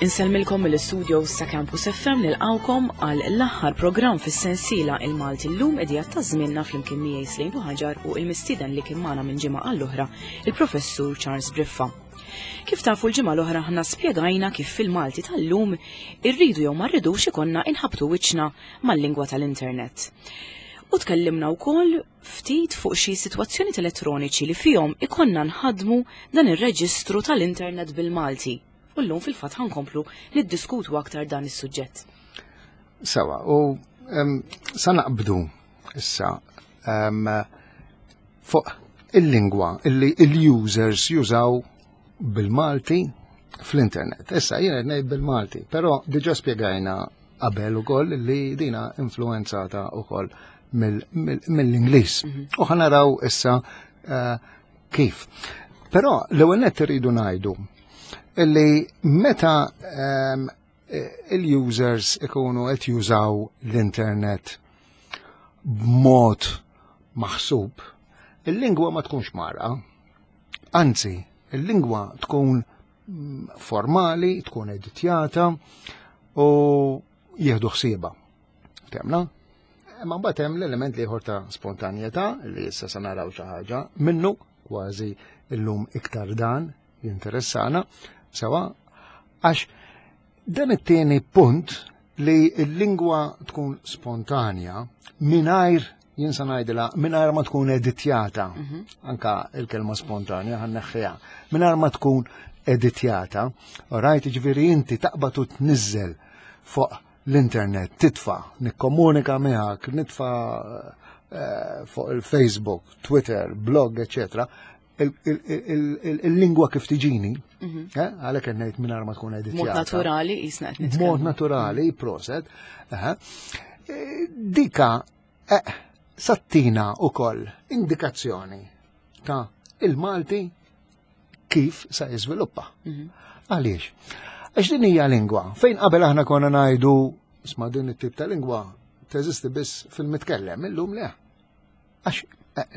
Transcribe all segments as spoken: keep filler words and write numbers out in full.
Insellmilkom mill-studios ta' Campus F M, nilqawkom għal l-aħħar programm fis-sensiela Il-Malti Llum, idea ta' żmienna, flimkien miegħi Slejn Ħaġar u il-mistieden li kien magħna minn ġimgħa għall-oħra, il-Professur Charles Briffa. Kif tafu, l-ġimgħa l-oħra ħna spjegajna kif fil-Malti tal-lum, irridu jew ma rridux, ikonna inħabtu wiċċna mal-lingwa tal-internet. U tkellimna wkoll ftit fuq xi sitwazzjoni elettroniċi li fihom ikonna nħadmu dan ir-reġistru tal-internet bil-Malti. U llum fil-fatt ħa nkomplu niddiskutu aktar dan is-suġġett. Sawa, u um, sa naqbdu issa um, fuq il-lingwa illi il-users jużaw bil-Malti fl-internet. Issa jiena ngħid bil-Malti, però diġà spjegajna qabel ukoll li dina influenzata ukoll mill-Ingliż. U ħa naraw issa uh, kif. Però l-ewwel nett irridu ngħidu illi meta um, il-users ikunu qed jużaw l-internet b'mod maħsub, il-lingwa ma tkunx mara. Anzi, il-lingwa tkun mm, formali, tkun editjata u jieħdu ħsieba. Temna? Ma mbagħad hemm l-element ieħor ta' spontanjetà li issa se naraw xi ħaġa minnu, kważi illum iktar dan jinteressana, sewa, għax dan it-tieni punt, li l-lingwa tkun spontanja mingħajr, jien sa ngħidilha, mingħajr ma tkun editjata. Anka il-kelma spontanja ħa nneħħiha. Mingħajr ma tkun editjata, rajt, ġifieri inti taqbad u tniżżel fuq l-internet, titfa, nikkomunika miegħek, nitfa eh, fuq il-Facebook, Twitter, blog, eccetera il-lingwa kif tiġini, eh, għalhekk qed ngħid mingħajr ma tkun editjata. Mod naturali jisna qed nitkellmu. Mod naturali, proset. Eh, dika eh, sa ttina ukoll indikazzjoni ta' il-Malti kif sa jiżviluppa. Għaliex? Għax din hija lingwa fejn qabel aħna konna ngħidu, isma', din it-tip ta' lingwa teżisti biss fil-mitkellem, illum le. Għax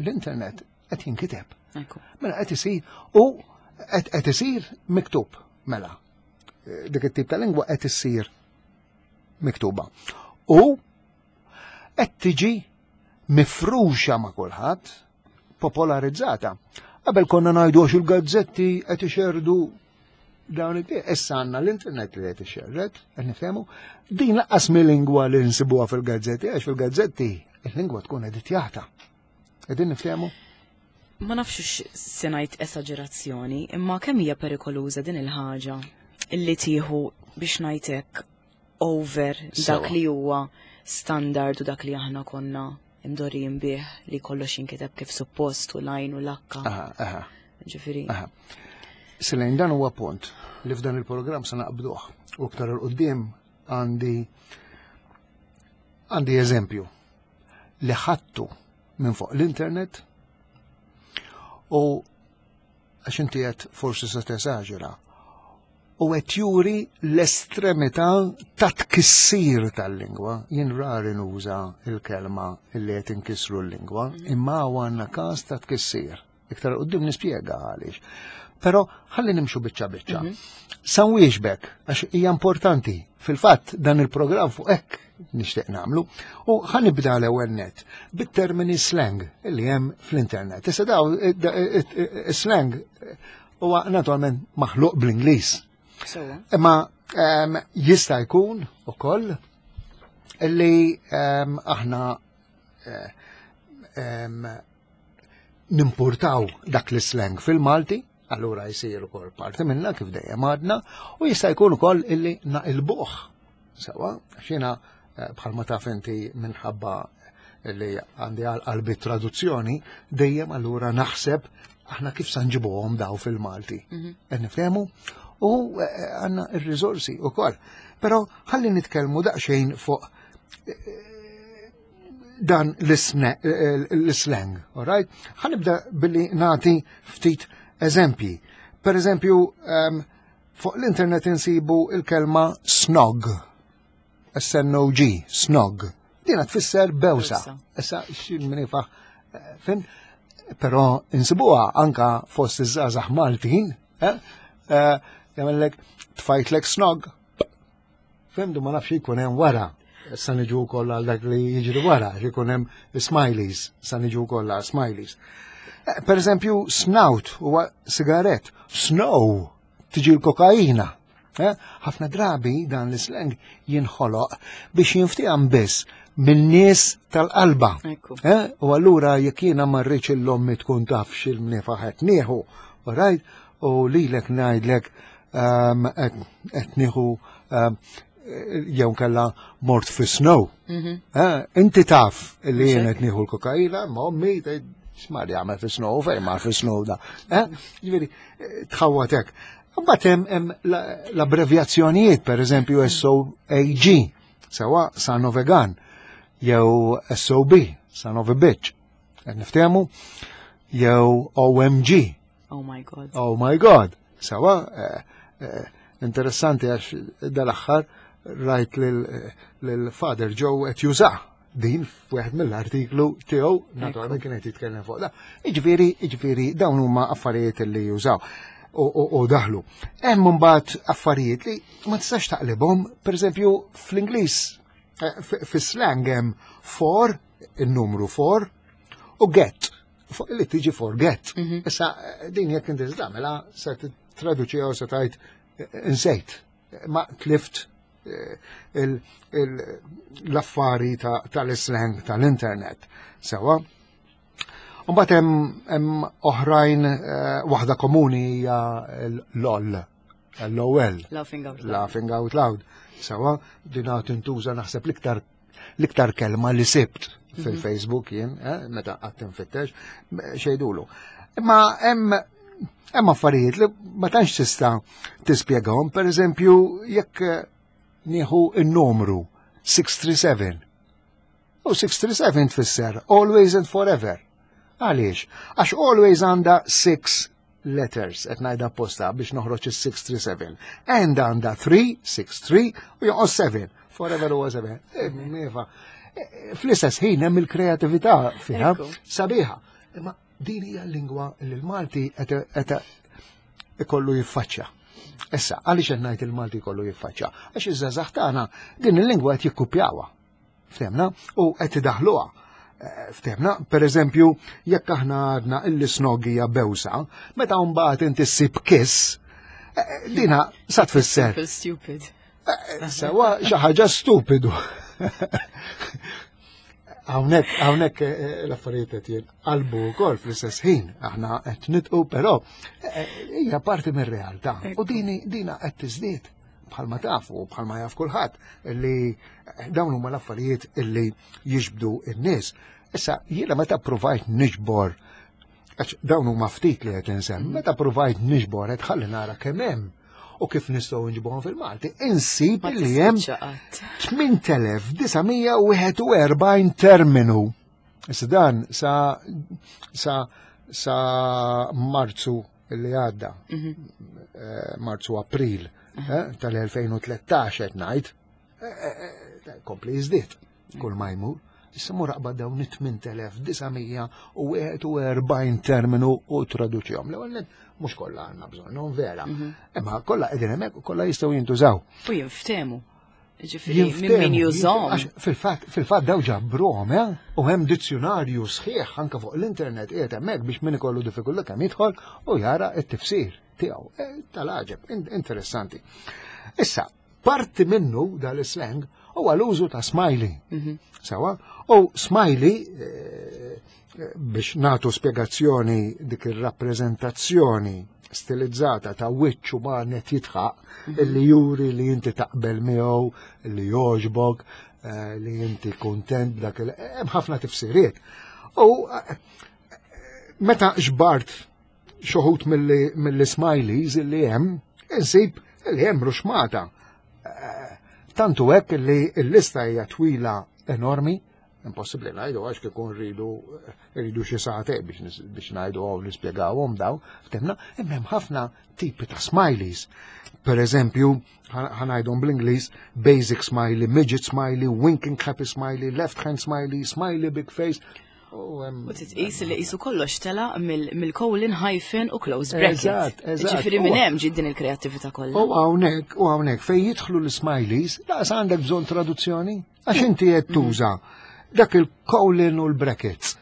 l-internet qed jinkiteb. Ekku. Mela qed isir u qed isir miktub mela. Dik it-tip ta' lingwa qed issir miktuba. U qed tiġi mifruxa ma' kulħadd, popolarizzata. Qabel konna ngħidu għax il-gazzetti qed ixerdu dawn it. Issa għandna l-internet li qed ixerred, qed nifhemu, din lanqas mil-lingwa li nsibuha fil-gazzetti, għax fil-gazzetti il-lingwa tkun editjata. Qegħdin niftehmu? Ma nafx se ngħid esaġerazzjoni, imma kemm hija perikoluża din il-ħaġa illi tieħu, biex ngħidlek, over dak Sewa. li huwa standard u dak li aħna konna imdorrijin bih, li kollox jinkiteb kif suppost u lajn u lakka. Aha, aha. Ġifieri. Aha. Selejn, dan huwa punt li f'dan il-programm se naqbduh. U iktar 'il quddiem għandi għandi eżempju li ħadtu minn fuq l-internet u għax inti qed forsi se tesaġera u qed juri l-estremità ta' tkissir tal-lingwa. Jien rari nuża il-kelma illi qed inkissru l-lingwa, imma għandna każ ta' tkissir. Iktar quddiem nispjega għaliex. Però ħalli nimxu biċċa biċċa. Sa nwieġbek, għax hija importanti. Fil-fatt dan il-programm fuq hekk nixtieq nagħmlu. U ħa nibda l-ewwel net bit-termini slang li hemm fl-internet. Issa daw slang huwa naturalment maħluq bl-Ingliż. Sewa. Imma em, jista' jkun ukoll li em, aħna eh, em, nimportaw dak l-slang fil-Malti, allura jsir ukoll parti minna, kif dejjem għadna, u jista' jkun ukoll illi naqilbuh. Sewa, xina eh, bħalma taf inti, minħabba li għandi għal qalbi traduzzjoni, dejjem allura naħseb aħna kif sa nġibuhom daw fil-Malti. Qed nifhemu? U eh, għandna ir-riżorsi ukoll. Però ħalli nitkellmu daqsxejn fuq eh, dan l-isne- eh, l-slang, all right? Ħa nibda billi nagħti ftit eżempji. Per eżempju, um, fuq l-internet insibu il-kelma snog. S N O G, snog. Dina tfisser bewsa. Bewsa. Issa, xin min ifaħ, eh, fin, però insibuha anka fost iż-żgħażagħ Maltin, eh? Eh, jagħmellek tfajtlek snog. Fhimtu, ma nafx jkun hemm wara. Sa niġu wkoll għal dak li jiġri wara, jkun hemm smileys, sa niġu wkoll għal smileys. Eh, Per eżempju, snout huwa sigaret, snow tiġi l-kokaina. Eh, Ħafna drabi dan l-slang jinħoloq biex jinftiehem biss minn nies tal-qalba. Ekku. Eh, U allura jekk jiena ma rridx 'l ommi tkun taf x'il-mnifa qed nieħu, right? U lilek ngħidlek um, qed nieħu um, jew kella mort fi snow. Eh, Inti taf li jien qed nieħu l-kokaina, ma ommi tgħid x'mar jagħmel fi snow, fejn mar fi snow da. Eh, Ġifieri, eh, tħawwatek. Mbagħad hemm hemm la- l-abbrevjazzjonijiet, per eżempju S O A G, sewa son of a gun, jew S O B, son of a bitch. Qed niftehmu? Jew O M G, Oh my God. Oh my God. Sewa, eh, eh, interessanti għax dal-aħħar rajt lil-Father Joe qed juża din f'wieħed mill-artiklu tiegħu, naturalment kien qed jitkellem fuq da. Iġifieri, iġifieri dawn huma affarijiet li jużaw u, u, u daħlu. Hemm mbagħad affarijiet li ma tistax taqlibhom, pereżempju fl-Ingliż, eh, f- fis-slang hemm for, il-numru four, u get, fuq li tiġi forget. Issa, eh, din jekk inti tagħmilha se titraduċiha u se tgħid eh, insejt. Ma tlift eh, il- il- l-affari ta- tal-slang tal-internet. Sewa. Mbagħad hemm hemm oħrajn, eh, waħda komuni hija l-LOL, L O L. Laughing out loud. Laughing out loud. Sewa, dina tintuża naħseb l-iktar l-iktar kelma li sibt fil-Facebook jien, eh, meta qatt infittex, xejdulu. Imma hemm hemm affarijiet li ma tantx tista' tispjegahom, per eżempju, jekk eh, nieħu n-numru sitt tlieta seba'. U sitt tlieta seba tfisser always and forever. Għaliex? Għax always għandha six letters, qed ngħidha apposta biex noħroġ is-sitt tlieta seba. And għandha tlieta, sitt tlieta u jonqos seba. Forever huwa seba. Iva. Fl-istess ħin hemm il-kreatività fiha Ekku. sabiħa. Imma din hija l-lingwa li l-Malti qed qed ikollu jiffaċċja. Issa, għaliex qed ngħid il-Malti jkollu jiffaċċja? Għax iż-żgħażagħ tagħna din il-lingwa qed jikkupjawha. Ftehmna? U qed idaħluha. Eh, Ftehmna, per eżempju, jekk aħna għadna illi snog hija bewsa, meta mbagħad inti ssib kiss, eh, dina sa tfisser. Simple stupid. Eh, Sewa xi ħaġa stupidu. Hawnhekk hawnhekk eh, l-affarijiet qed jinqalbu wkoll fl-istess ħin. Aħna qed nidħku, però eh, hija parti mir-realtà. U dini dina qed tiżdied bħalma tafu, bħalma jaf kulħadd li dawn huma l-affarijiet illi jiġbdu n-nies. Issa jiena meta provajt niġbor, għax dawn huma ftit li qed insemmi, meta provajt niġbor qed ħalli nara kemm hemm u kif nistgħu nġibuhom fil-Malti, insib Ma li hemm tispiċċa qatt. tmien elef disa' mija u wieħed u erbgħin terminu. Issa dan sa sa sa Marzu li għadda, eh, Marzu April eh, tal-elfejn u tlettax qed ngħid, eh, eh, eh, kompli jiżdied kull ma jmur. Issa mur aqbad dawn it-tmien elef disa' mija u wieħed u erbgħin terminu u traduċihom. L-ewwel nett, mhux kollha għandna bżonnhom vera. Imma kollha qegħdin hemmhekk u kollha jistgħu jintużaw. U jinftehmu. Ġifieri, minn Jinftehmu, min jużahom. għax Fil-fatt, fil-fatt daw ġabruhom, eh? U hemm dizzjonarju sħiħ anke fuq l-internet qiegħed hemmhekk biex min ikollu diffikultà kemm jidħol u jara t-tifsir tiegħu. Eh, Tal-għaġeb, in- interessanti. Issa, parti minnu dal-slang huwa l-użu ta' smiley. Sewa, u smiley eh, eh, biex natu spiegazzjoni, dik ir-rappreżentazzjoni stilizzata ta' wiċċ uman qed jidħaq illi juri li inti taqbel miegħu, li jogħġbok, eh, li inti kontent b'dak il hemm ħafna tifsiriet. U eh, meta ġbart xi wħud mill-smileys illi hemm, insib li hemm ruxmata. Eh, Tantu hekk li l-lista hija twila enormi, impossibbli ngħidu għax kif rridu rridu xi sagħtejn biex nis- biex ngħidu għaw nispjegawhom daw, ftehmna, imma hemm ħafna tipi ta' smileys. Per eżempju, ħa ngħidhom bl-Ingliż, basic smiley, midget smiley, winking happy smiley, left hand smiley, smiley big face, U hemm- U titqis li qisu kollox tela mill-colon, hyphen u close bracket. Eżatt, eżatt. Ġifieri minn U- hemm ġiet din il-kreattività kollha. U hawnhekk, u hawnhekk fejn jidħlu l-smileys, laqas għandek bżonn traduzzjoni, għax inti qed tuża dak il-colon u l-brackets.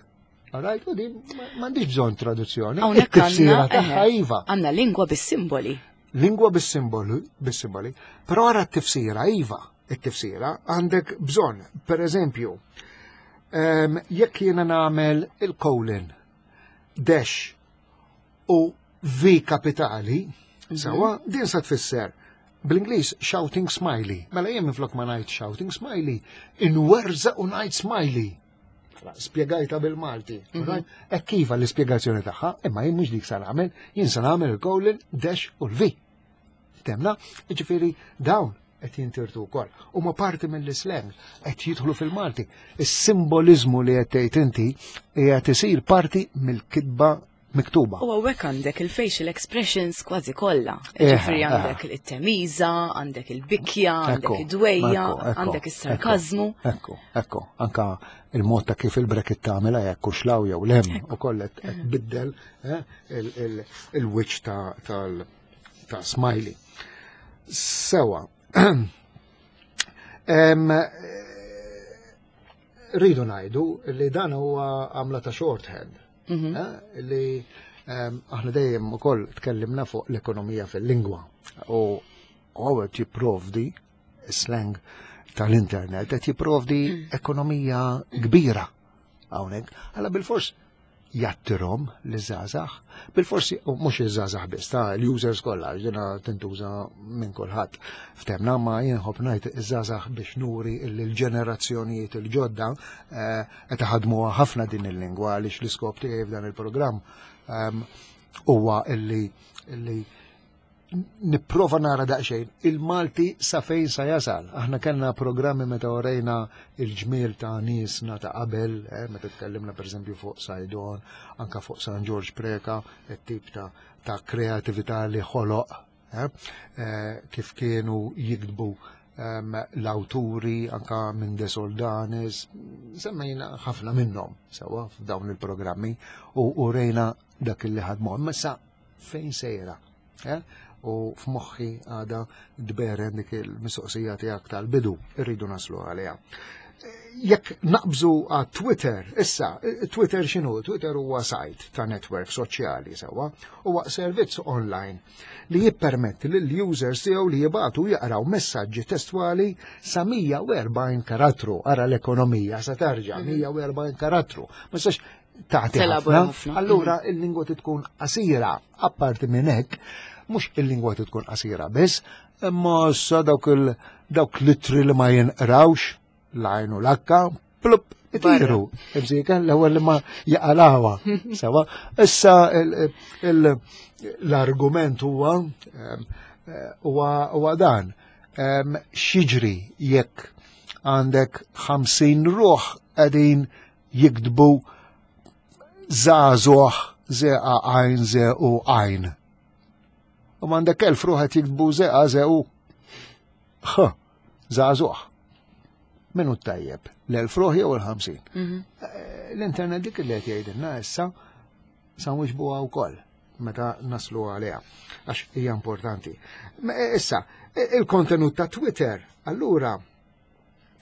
Alright, u din ma- m'għandix bżonn traduzzjoni. Hawnhekk It-tifsira għandna tagħha eħe, iva. għandna lingwa bis-simboli. Lingwa bis-simboli, bis-simboli, però ara t-tifsira iva, it-tifsira għandek bżonn, per eżempju, em, jekk jiena nagħmel il-colon, dash u V kapitali, sawa, din sa tfisser bl-Ingliż shouting smiley. Mela jien minflok ma ngħid shouting smiley, inwerżaq u ngħid smiley. Spjegajta bil-Malti. Right? Hekk iva l-ispjegazzjoni tagħha, imma jien mhux dik sa nagħmel, jien sa nagħmel il-colon, dash u l-V. Temna, ġifieri dawn qed jintirtu wkoll. Huma parti mill-slang qed jidħlu fil-Malti. Is-simbolizmu li qed tgħid inti qiegħed isir parti mill-kitba miktuba. U hawnhekk għandek il-facial expressions kważi kollha. Eh, Ġifieri eh. għandek it-temiża, għandek il-bikja, għandek Ekku, id-dwejja, ekku, ekku, għandek is-sarkazmu. Ekku, ekku, anka il-mod ta' kif il-bracket tagħmilha jekk hux 'l hawn jew 'l hemm ukoll qed qed biddel eh, il- il- il-wiċċ ta' tal ta' smiley. Sewa. Em, eh, Rridu ngħidu li dan huwa għamla ta' shorthand. eh, Li em, aħna dejjem ukoll tkellimna fuq l-ekonomija fil-lingwa u għawet jipprovdi slang tal-internet qed jipprovdi ekonomija kbira hawnhekk. Alla bil-fors jattirhom l-żgħażagħ, bil-forsi, u mhux iż-żgħażagħ biss, ta' l-users kollha, ġena tintuża minn kulħadd. Ftemna ma jien nħobb ngħid iż-żgħażagħ biex nuri l-ġenerazzjonijiet il-ġodda eh, qed iħadmuha ħafna din il-lingwa għaliex l-iskop tiegħi f'dan il-programm ehm, huwa illi illi nipprova nara daqsxejn il-Malti sa fejn sa jasal. Aħna kellna programmi meta orejna il-ġmiel ta' niesna ta' qabel, eh, meta tkellimna pereżempju fuq Saydon, anka fuq San Ġorġ Preca, it-tip ta' ta' kreatività li ħoloq, eh, eh, kif kienu jiktbu em, l-awturi anka minn De Soldanis, semmejna ħafna minnhom sewa f'dawn il-programmi u u rejna dak li ħadmu. Imma sa fejn sejra? Eh? U f'moħħi għada dberen dik il-mistoqsija tiegħek tal-bidu, irridu naslu għaliha. Jekk naqbżu għat Twitter, issa, Twitter x'inhu? Twitter huwa site ta' network soċjali sewa, huwa servizz online li jippermetti lill users tiegħu li jibatu jaqraw messaġġi testwali sa mija u erbgħin karattru. Ara l-ekonomija sa tarġa' mija u erbgħin karattru. Ma sax tagħti Telabora ħafna. ħafna. Allura il-lingwa tkun qasira, apparti minn hekk, mhux il-lingwa tkun qasira biss, imma issa dawk il dawk l-ittri li ma jinqrawx, l-għajn u l-akka, plup, itiru. Ibżika l-ewwel li ma jaqalawha. Sewa, issa il- il- l-argument huwa em, eh, huwa huwa dan. Em, X'jiġri jekk għandek ħamsin ruħ qegħdin jiktbu żagħżugħ zeqa għajn ze u għajn? U m'għandek elf ruħ qed jiktbu zeqa ze u ħ, żagħżugħ. Minu tajjeb, l-elf ruħ jew il-ħamsin? Eh, L-internet dik li qed jgħidilna issa sa nwiġbuha wkoll meta naslu għaliha, għax hija importanti. Ma, eh, Issa, eh, il-kontenut ta' Twitter, allura,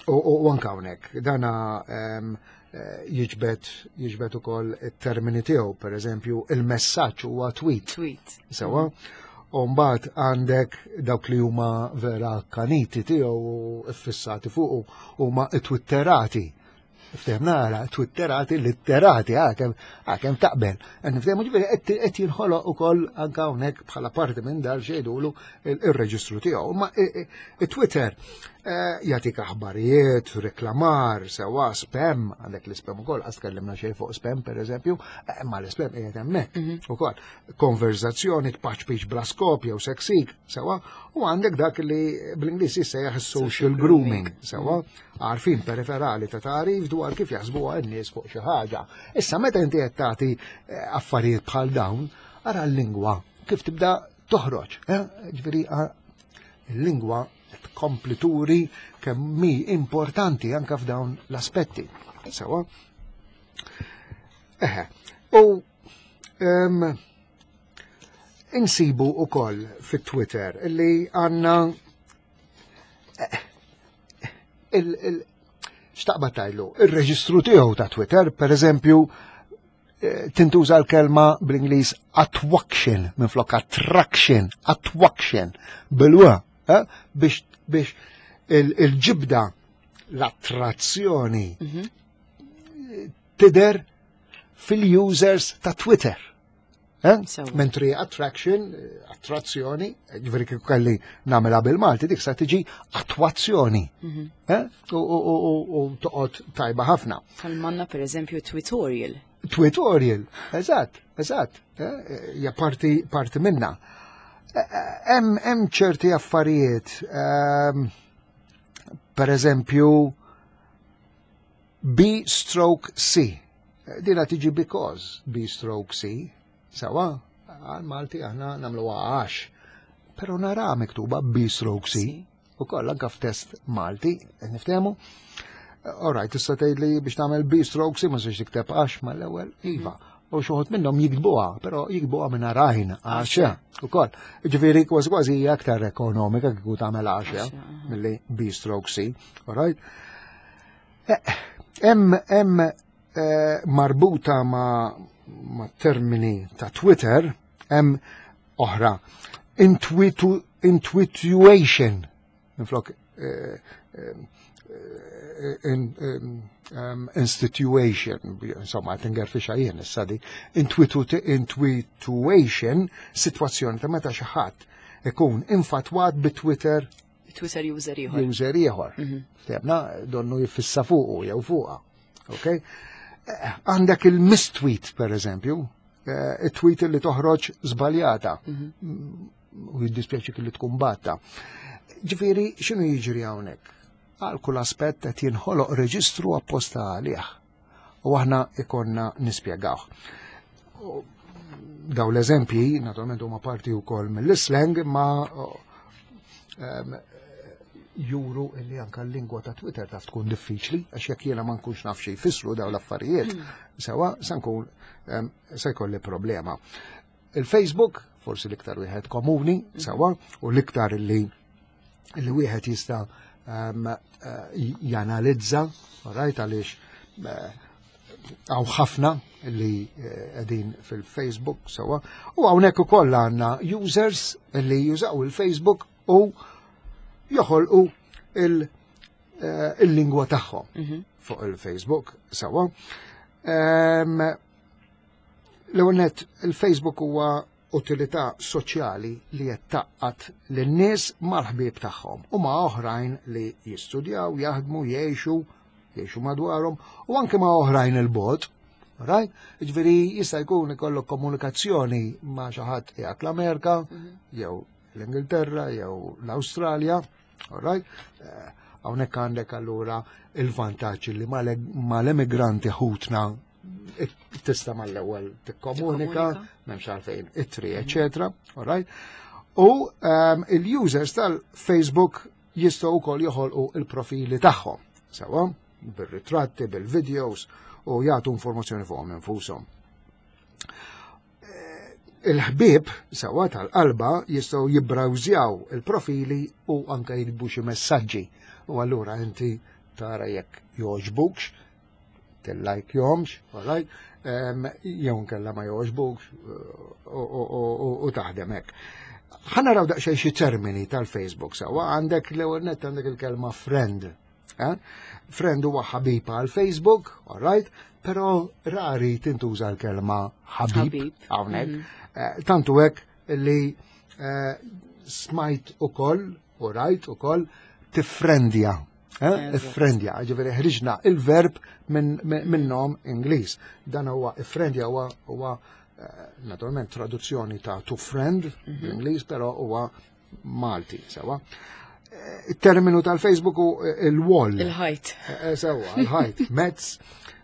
u u anka hawnhekk, dana em, eh, jiġbed jiġbed ukoll it-termini tiegħu, per eżempju, il-messaġġ huwa tweet. Tweet. Sewa, u mbagħad għandek dawk li huma vera kaniti tiegħu u ffissati fuqu huma twitterati. Ftehim nara, twitterati, litterati, għakem, għakem taqbel. Għan niftehmu ġifieri qed qed jinħoloq ukoll anke hawnhekk bħala parti minn dal xejdulu il-reġistru tiegħu. Ma Twitter eh, jagħtik aħbarijiet, reklamar, sewa spam, għandek l-spam ukoll, għas tkellimna xejn fuq spam per eżempju, eh, ma l-spam qiegħed hemmhekk ukoll. Konverzazzjoni tpaċpiċ bla skop jew seksik, sewa, u għandek dak li bl-Ingliż jissejjaħ social grooming, sewa, għarfien periferali ta' tarif dwar kif jaħsbuha n-nies fuq xi ħaġa. Issa meta inti qed tagħti eh, affarijiet bħal dawn, ara l-lingwa kif tibda toħroġ. eh? Ġifieri ah, il-lingwa tkompli turi kemm mi importanti anke f'dawn l-aspetti. Sewa. Eħe, u em, insibu u koll fit-Twitter li għanna eh, il, il, x'taqbad tgħidlu, il-reġistru tiegħu ta' Twitter, per eżempju, eh, tintuża l-kelma bl-Ingliż atwaction minn flok attraction, atwaction, bil-wa, eh, biex biex il- il-ġibda l-attrazzjoni tidher fil-users ta' Twitter. Eh? Sewa. Mentri attraction, eh, attrazzjoni, ġifieri kieku kelli nagħmilha bil-Malti, dik sa tiġi attwazzjoni. Eh? U, u, u, u, u toqgħod tajba ħafna. Tal-manna per eżempju Twittorial. Twittorial, eżatt, eżatt, eh, hija parti, parti minna. Eh, Hemm hemm ċerti affarijiet, ehm, per eżempju, B stroke C. Dina tiġi because B stroke C. Sawa, għal Malti aħna nagħmlu għax. Pero nara miktuba B stroke C. U koll anka f'test Malti, niftehmu. All right, tista' tgħidli biex tagħmel B stroke C ma sex tikteb għax mal-ewwel, iva. U xi wħud minnhom jiktbuha, però jiktbuha minn għajn għax ukoll. Ġifieri kważi kważi hija aktar ekonomika kieku tagħmel għax Għax, aha. milli B stroke C, all right? Hemm hemm eh, marbuta ma' ma' termini ta' Twitter, hemm oħra. Intwitu, intwituation, minflok eh, eh, in, in, um, institution, insomma, tingerfixa jien issa di, intwitu, intwituation, situazzjoni ta' meta xi ħadd ikun infatwat bi Twitter Twitter user ieħor. user ieħor. Ftehmna, donnu jiffissa fuqu jew fuqha. Ok? Eh, Għandek il-mistweet, per eżempju, eh, il-tweet li toħroġ żbaljata. U jiddispjaċi li tkun batta. Ġifieri, x'inhu jiġri hawnhekk? Għal kull aspett qed jinħoloq reġistru apposta għalih. U aħna ikonna nispjegawh. U daw l-eżempji, naturalment huma parti wkoll mill-slang, ma em, juru illi anka l-lingwa ta' Twitter taf tkun diffiċli, għax jekk jiena ma nkunx naf xi jfissru daw l-affarijiet, sewa se nkun em, se jkolli problema. Il-Facebook, forsi l-iktar wieħed komuni, sewa, u l-iktar li li wieħed jista' em, eh, janalizza, right, għaliex eh, hawn ħafna li eh, qegħdin fil-Facebook sewa, u hawnhekk ukoll għandna users li jużaw il-Facebook u joħolqu il- eh, il-lingwa tagħhom fuq il-Facebook sewa. Em, L-ewwel nett, il-Facebook huwa utilità soċjali li qed tgħaqqad lin-nies mal-ħbieb tagħhom u ma' oħrajn li jistudjaw, jaħdmu, jgħixu, jgħixu madwarhom u anke ma' oħrajn il-bogħod. Right? Ġifieri jista' jkun ikollok komunikazzjoni ma' xi ħadd qiegħed l-Amerika, jew l-Ingilterra, jew l-Awstralja, all right? Eh, Hawnhekk għandek allura il-vantaġġ li mal-emigranti ħutna tista' mal-ewwel tikkomunika, Tikkomunika. m'hemmx għalfejn ittri, eċetera, all right? U um, il-users tal-Facebook jistgħu wkoll joħolqu il-profili tagħhom, sewa, bir-ritratti, bil-videos u jagħtu informazzjoni fuqhom infushom. Eh, Il-ħbieb sewa tal-qalba jistgħu jibbrawżjaw il-profili u anke jiktbu xi messaġġi. U allura inti tara jekk jogħġbukx, tillajkjahomx, all right? Um, jew nkella ma jogħġbukx u, u, u, u, u taħdem hekk. Ħa naraw daqsxejn xi termini tal-Facebook sewa għandek l-ewwel nett għandek il-kelma friend. Eh? Friend huwa ħabib għal Facebook, all right? Però rari tintuża l-kelma ħabib Ħabib. hawnhekk. Eh, Tantu hekk li eh, smajt ukoll u rajt ukoll tiffrendja. Eh? Eżatt. Iffrendja, ġifieri ħriġna il-verb minn min nom Ingliż. Dan huwa iffrendja huwa huwa eh, naturalment traduzzjoni ta' to friend bl-Ingliż, però huwa Malti, sewa. Eh, Il-terminu tal-Facebook hu il-wall. Il-ħajt. Eh, Sewa, il-ħajt, mezz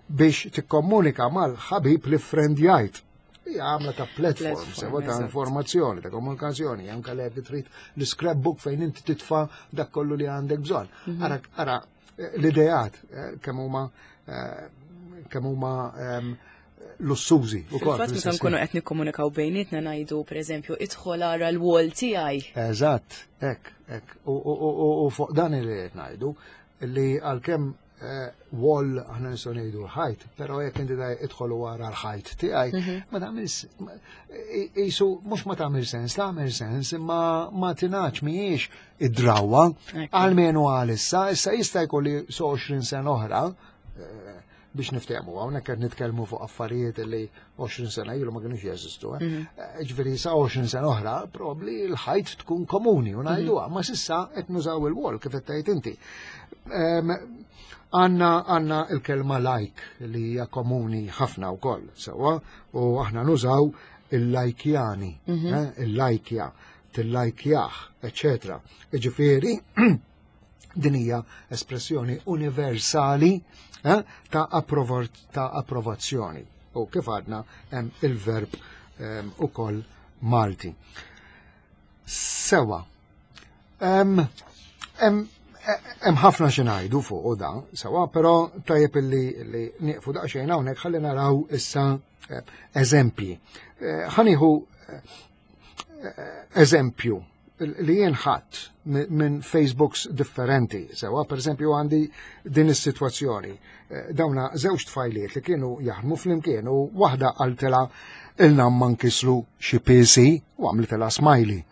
biex tikkomunika mal-ħabib li friendjajt. Hija għamla ta' platform, Platform, sewa ta' eżatt. informazzjoni, ta' komunikazzjoni, anke li jekk trid l-scrapbook fejn inti titfa' dak kollu li għandek bżonn. Ara, ara, eh, l-ideat eh, kemm huma eh, kemm huma ehm, lussużi. Fil-fatt meta nkunu qed nikkomunikaw bejnietna ngħidu, pereżempju, "Idħol ara l-wall tiegħi." Eżatt, hekk, hekk. U fuq dan li qed ngħidu li għalkemm eh, wall aħna nistgħu ngħidu l-ħajt, però jekk inti daj "idħol wara l-ħajt tiegħi", mhm. ma tagħmel qisu mhux ma tagħmel sens, tagħmel sens, imma ma tingħadx, mhijiex id-drawwa, almenu għalissa. Issa jista' jkolli so għoxrin sena oħra, eh, biex niftehmu, hawnhekk qed nitkellmu fuq affarijiet li għoxrin sena ilu ma kienux jeżistu. Eh? Mhm. Eh, ġifieri sa għoxrin sena oħra probabli l-ħajt tkun komuni u ngħiduha, mhm. ma s'issa qed nużaw il-wall kif qed tgħid inti. Għanna għanna il-kelma "like" li hija komuni ħafna wkoll, sewwa, u aħna nużaw il-lajkjani, mhm. eh, il-lajkja, tillajkjah, eċetera. Ġifieri din hija espressjoni universali eh, ta' ta' approvazzjoni. U kif għadna, hemm il-verb ehm, ukoll Malti. Sewwa. Hemm ħafna xi ngħidu fuq da, sewwa, però tajjeb illi li nieqfu daqsxejn hawnhekk ħalli naraw issa eh, eżempji. Eh, ħa nieħu eh, eżempju li jien ħadd minn Facebooks differenti. Sewwa, per eżempju, għandi din is-sitwazzjoni. Dawna żewġ tfajliet li kienu jaħdmu flimkien u waħda qaltilha, "Ilna ma nkisru xi P C" u għamlitilha smiley.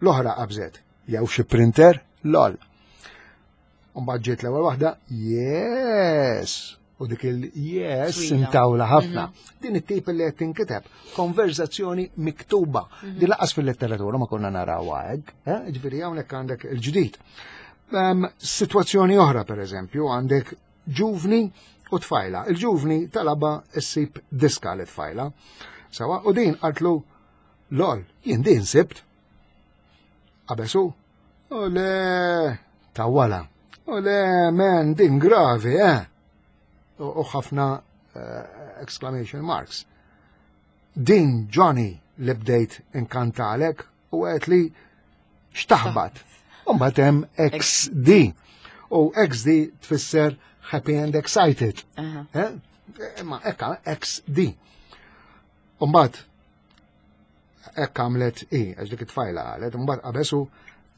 L-oħra qabżet, "Jew xi printer, lol." Mbagħad ġiet l-ewwel waħda, "Yes." U dik il-yes intawla ħafna. Mhm. Din it-tip li qed tinkiteb, konverzazzjoni miktuba. Mhm. Din lanqas fil-letteratura ma konna naraw hekk, eh? Ġifieri hawnhekk għandek il-ġdid. Situazzjoni oħra, per eżempju, għandek ġuvni u tfajla. Il-ġuvni talaba ssib diska li tfajla. Sewwa, u din qaltlu, "Lol, jien din sibt." Qabesu, "U le, tawwala. U le, men, din gravi, eh." U ħafna uh, exclamation marks. "Din Johnny li bdejt inkantalek u għedt li xtaħbat." U hemm X D. U X D tfisser happy and excited. Eh? Ma ekka X D. Umbat, ekka għamlet i, għax dik it-tfajla għalet, umbat qabesu,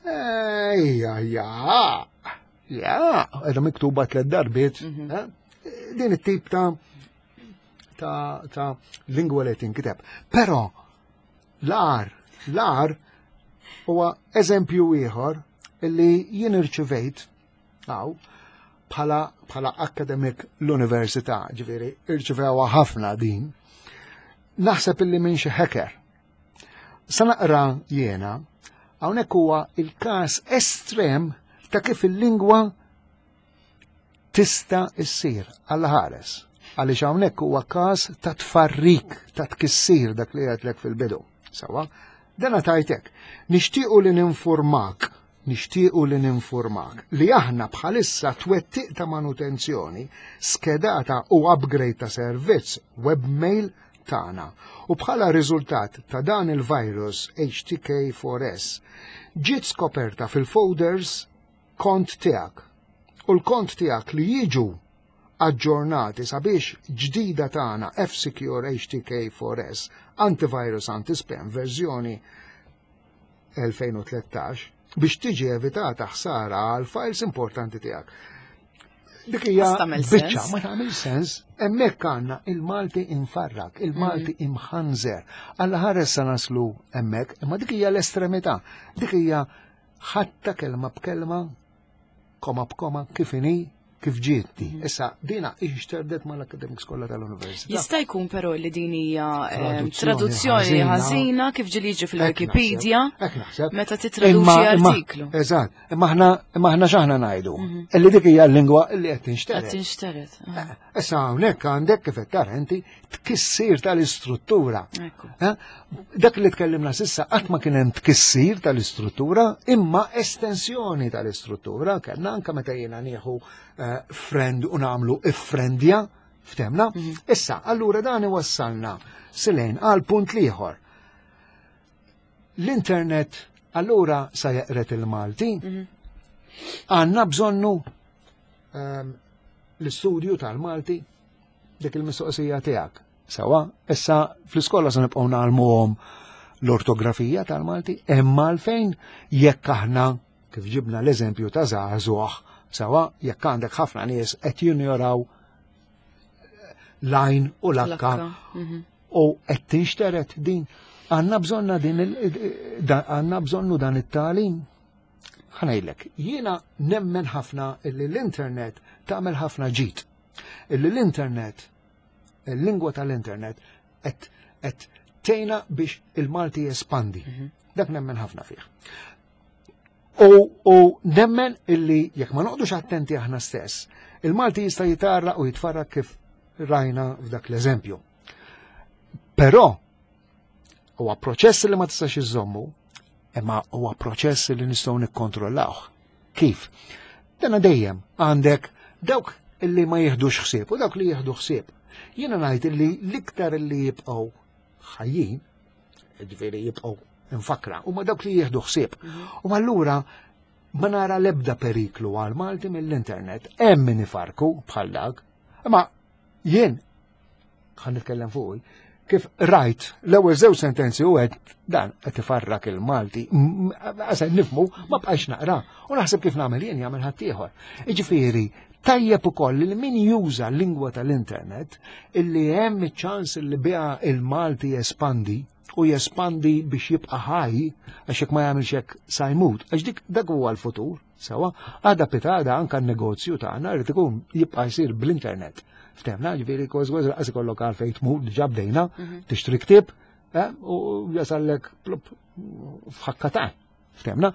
ejja, ja, ja, edha miktuba tlet darbiet, mhm. eh? Din it-tip ta' ta' ta' lingwa li tinkiteb. Però, l-ar, l-ar huwa eżempju ieħor illi jien irċivejt għaw bħala bħala academic l-università, ġifieri irċivewa ħafna din. Naħseb illi minn xi hacker. Sa naqra jiena, hawnhekk huwa il-każ estrem ta' kif il-lingwa tista' issir għal ħares. Għaliex hawnhekk huwa każ ta' tfarrik, ta' tkissir, dak li għedtlek fil-bidu. Sewwa, dana tajtek. "Nixtiequ li ninformak, nixtiequ li ninformak li aħna bħalissa twettiq ta' manutenzjoni skedata u upgrade ta' servizz webmail tagħna u bħala riżultat ta' dan il-virus H T K four S ġiet skoperta fil-folders kont tiegħek u l-kont tiegħek li jiġu aġġornati sabiex ġdida tagħna F-Secure H T K four S Antivirus Anti-Spam verżjoni elfejn u tlettax biex tiġi evitata ħsara għal files importanti tiegħek." Dik hija biċċa ma tagħmel sens, hemmhekk għandna il-Malti infarrak, il-Malti mm. imħanżer. Alla ħares sa naslu hemmhekk, imma dik hija l-estremità. Dik hija ħatta kelma b'kelma, koma b'koma, kif inhi, kif ġietni. Mhm. Issa, dina ixterdet mal-academics kollha tal-università. Jista' jkun però li din hija eh, traduzzjoni ħażina kif ġieli jiġi fil-Wikipedia meta titraduċi artiklu. Eżatt, imma aħna imma aħna x'aħna ngħidu? Mhm. Illi dik hija l-lingwa illi qed tinxteret. Qed tinxteret. Eh, issa hawnhekk għandek, kif qed tara inti, tkissir tal-istruttura. Eh, dak li tkellimna s'issa qatt ma kien hemm tkissir tal-istruttura, imma estensjoni tal-istruttura kellna anke meta jiena nieħu eh, friend u nagħmlu iffrendja, ftemna. Mhm. Issa, allura dan iwassalna silejn għal punt l-ieħor. L-internet allura sa jeqret il-Malti, mhm. għandna bżonnu ehm, l-istudju tal-Malti, dik il-mistoqsija tiegħek. Sewwa, issa fl-iskola se nibqgħu ngħallmuhom l-ortografija tal-Malti, imma għalfejn jekk aħna kif ġibna l-eżempju ta' żagħżugħ, sewwa, jekk għandek ħafna nies qed jinjoraw l-għajn u l-akka Mhm. u qed tinxteret din għandna bżonna din għandna bżonnu dan it-tagħlim. Ħa ngħidlek, jiena nemmen ħafna illi l-internet tagħmel ħafna ġid. Illi l-internet, il-lingwa tal-internet qed qed tgħinna biex il-Malti jespandi. Dak nemmen ħafna fih. U, u nemmen illi jekk ma noqogħdux attenti aħna stess, il-Malti jista' jitarra u jitfarrak kif rajna f'dak l-eżempju. Però huwa proċess li ma tistax iżommu, imma huwa proċess li nistgħu nikkontrollawh. Kif? Dana dejjem għandek dawk illi ma jieħdux ħsieb u dawk li jieħdu ħsieb. Jiena ngħid illi l-iktar illi jibqgħu ħajjin, ġifieri jibqgħu infakra, huma dawk li jieħdu ħsieb. U allura ma nara l-ebda periklu għal Malti mill-internet. Hemm min ifarku bħal dak, imma jien ħa nitkellem fuq kif rajt l-ewwel żewġ sentenzi u għedt dan qed ifarrak il-Malti, għax nifhmu ma bqajx naqra u naħseb kif nagħmel jien jagħmel ħaddieħor. Jiġifieri tajjeb ukoll li min juża l-lingwa tal-internet illi hemm iċ-ċans li biha il-Malti jespandi u jespandi biex jibqa' ħaj għax jekk ma jagħmilx hekk sa jmut, għax dik dak huwa l-futur, sewwa, għada pitgħada anka n-negozju tagħna rrid ikun jibqa' jsir bl-internet. Ftehmna, ġifieri kważi kważi lanqas ikollok għalfejn tmur, diġà bdejna, tixtri ktieb, eh, u jasallek plup f'ħakka ta'. Ftehmna.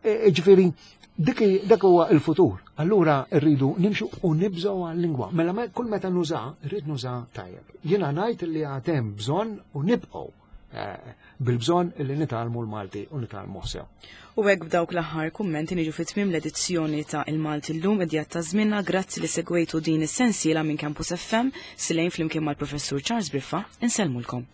E, ġifieri, dik dak huwa il-futur. Allura rridu nimxu u nibżgħu għal-lingwa. Mela me- kull meta nuża, rrid nuża tajjeb. Jiena ngħid li għad hemm bżonn u nibqgħu eh, bil-bżonn li nitgħallmu l-Malti u nitgħallmu sew. U hekk b'dawk l-aħħar kummenti niġu fi tmiem l-edizzjoni ta' Il-Malti Illum idejat ta' żmienna grazzi li segwejtu din is-sensiela minn Campus F M Silejn flimkien mal-Professur Charles Briffa insellmulkom.